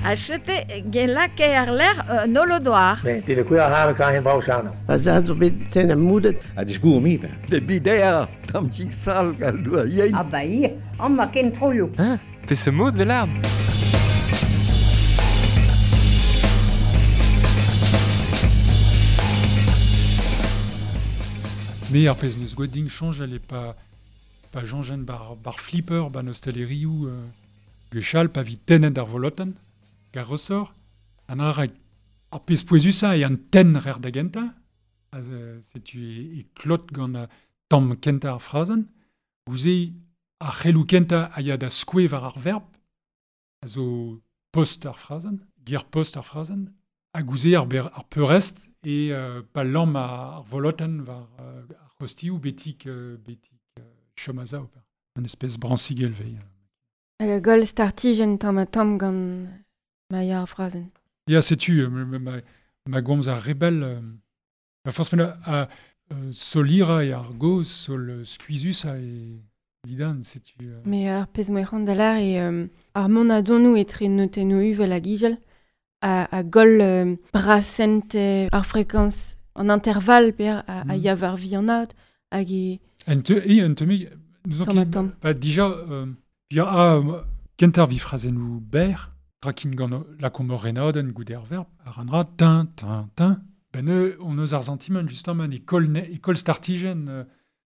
Achete gelake ar ler nolodoar. Ne, det er kuer har kan hen brau sano. Pa za zo bet ten am moudet. A disgour mi ben. De bider, tam ti sal gal doa yein. Ah ba ir, an ma ken troioù. Hein? Pe se mod vel Me ar pezh neus gwet ding chonjal e pa jonjen bar flipper ba nostelerioù gwechall pa vi tennet ar volotenn gar ressort an ar ar pezh pouezusañ e an tenn rer da gentañ setu e klot gant tamm kentañ ar frazenn gouze ar c'helloù kentañ a ya da skoe war ar verb a zo post ar frazenn ger post ar frazenn ha gouze ar peurrest e pa lamm ar volotenn war ar c'hostioù betik chom a zao. Un espèce bransigel vei. Hag a goll startijenn tamm ha tamm gant ma ya ar frazenn. Ya, setu, ma gomz ar rebel. Ma force a solira e ar goz, sol skuizus a e lidan, setu. Mais ar pezh moe c'hoant da lar e ar mont a donou etre notennoù uvel hag igel a goll brasent ar frekans an interval per a ya war vihanat hag e... Un te me... Nous ba dija ya a kentar vi frazennoù ber trakin gant la komor renadenn goude ar verb ar ranra tin tin tin ben on eus ar sentiment justement e kol startijen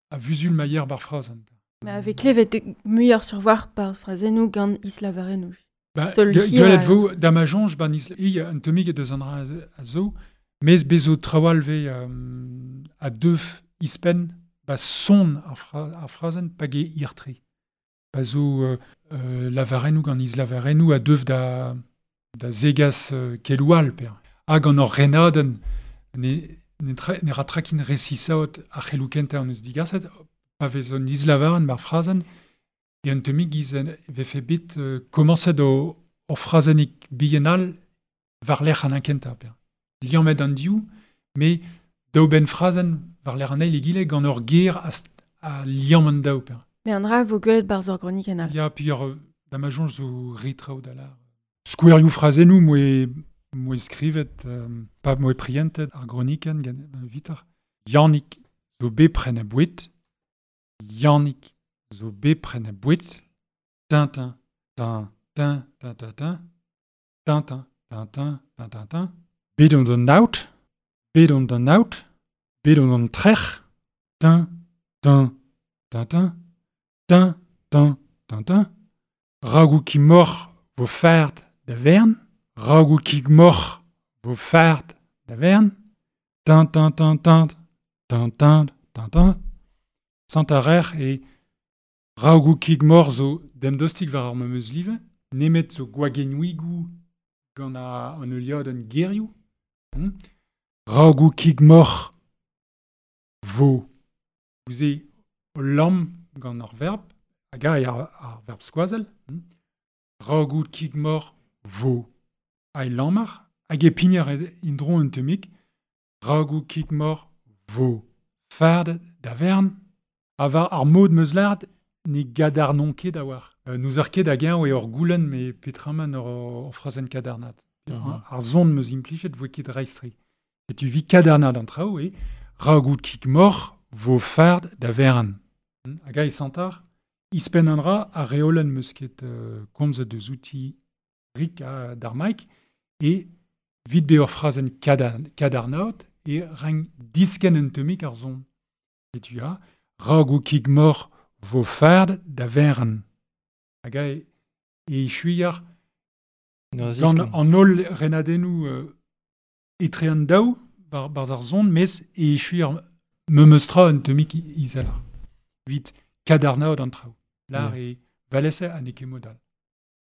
a vuzul maier bar frazenn. Mais avec klevet muioc'h sur war par frazennoù gant islavarennoù. Ba gwelet vo da ma jonj ban isla un temig e deus an ra a zo mez bezo trawal ve a deuf ispen ba son ar frazenn pa ge irtre. Pa zo lavarennoù gant islavarennoù a deuf da zegas keloual per. Hag an ur renadenn ne ra trakin resisaot ar c'helloù kentañ an eus digaset pa vez an islavarenn bar frazenn e un temig iz vefe bet komañset o frazennig bihan war lec'h an kentañ per. Liammet an div, me daou ben frazenn war lec'h an eil egile gant ur ger a liamm an daou per. Mais an dra vo gwelet barzh ur gronik en all. Ya, puis ur da ma jonj zo ritraoù da lar. Skouerioù frazennoù moe skrivet, pa moe prientet ar gronikenn gant vitar. Yannick zo bepren a bouet. Yannick zo bepren a bouet. Tintin, tin, tin, tin, tin, tin. Tintin, tin, tin, tin, tin, tin. Bet on an aout. Bet on an aout. Bet on an trec'h. Tin, tin, tin, tin. Tin, tin, tin, tin. Ragoù ki moc'h vo fard da vern. Ragoù ki moc'h vo fard da vern. Tin, tin, tin, tin. Tin, tin, tin, tin. Sant ar rec'h e ragoù ki moc'h zo demdostik war ar memeus live. Nemet zo gwagenouigoù gant an euliadenn gerioù. Ragoù ki moc'h vo. Gouze o lamm gant ar verb, hag ar verb skoazel. Ragoù kig moc'h vo. Ai lammar, hag e pignar indro un temik. Ragoù kig moc'h vo. Fard da vern. A war ar mod meus lard ne gadarnon ket a war. Nous ar ket hag-eñ eo ur goulenn me petraman ur frazenn kadarnat. Ar zon meus implichet vo ket reistri. Setu vi kadarnat an traoù e ragoù kig moc'h vo fard da vern. Hag a e santar, ispen an ra ar reolenn meus ket komzet deus outi rik d'ar maik e vid be ur frazenn kadarnaot e rang disken un temik ar zon. Setu a, ragoù kig moc'h vo fard da vern. Hag a e chuiar gant an holl renadennoù etre an daou bar ar zon, mes e chuiar memeustra un temik izelar. Vit kadarnaot an traoù. Lar e valese an eke modal.